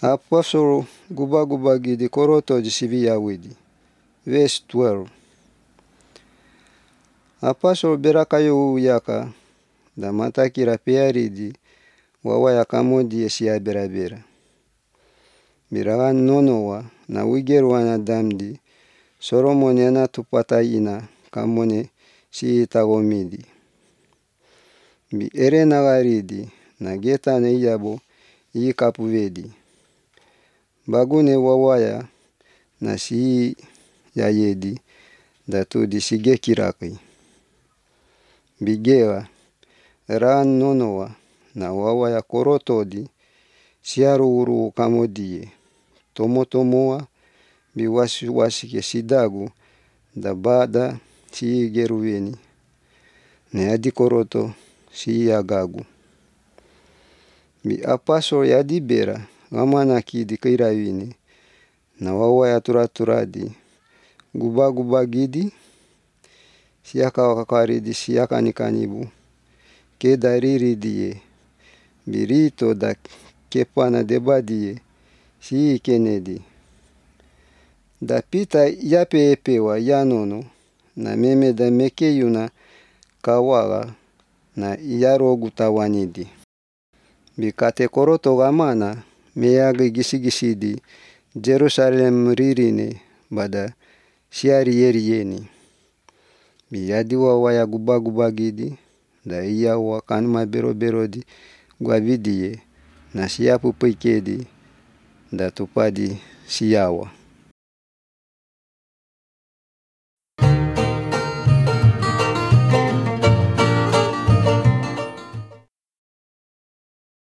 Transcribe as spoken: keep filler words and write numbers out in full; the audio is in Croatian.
Apostle guba-guba gidi koroto jisivi yawidi. Verse twelve. Apostle berakayo yaka da matakira pearidi wawa yakamodi esia bera-bera. Birawan nonowa na wigerwana damdi Solomon yana tupata ina kamone si itagomidi. Bi ere nagaridi na geta ne yabo i kapuvedi. Bagune wawaya na si yayedi datu disige kiraki. Bigera ran nonowa na wawaya korotodi siaru uru kamodie. Tomo-tomoa biwasi-wasi ke sidagu da bada si geruweni. Ne adi koroto si yagagu. Bi apostle yadi bera wamanaki di kairawini na wawaya tura-turadi guba-guba gidi siaka wakakaridi siaka nikanibu kedariridi birito da kepana debadie si kenedi. Da pita yape epewa yanono na meme da mekeyuna kawaga na iyarogu tawanidi. Bikate koroto gamana meyagi gisi-gisidi Jerusalem ririne bada siari yeriyeni. Biyadi wawaya guba-guba gidi da iyawa kanuma bero-berodi guavidie na siapu pikedi da tupadi siyawa.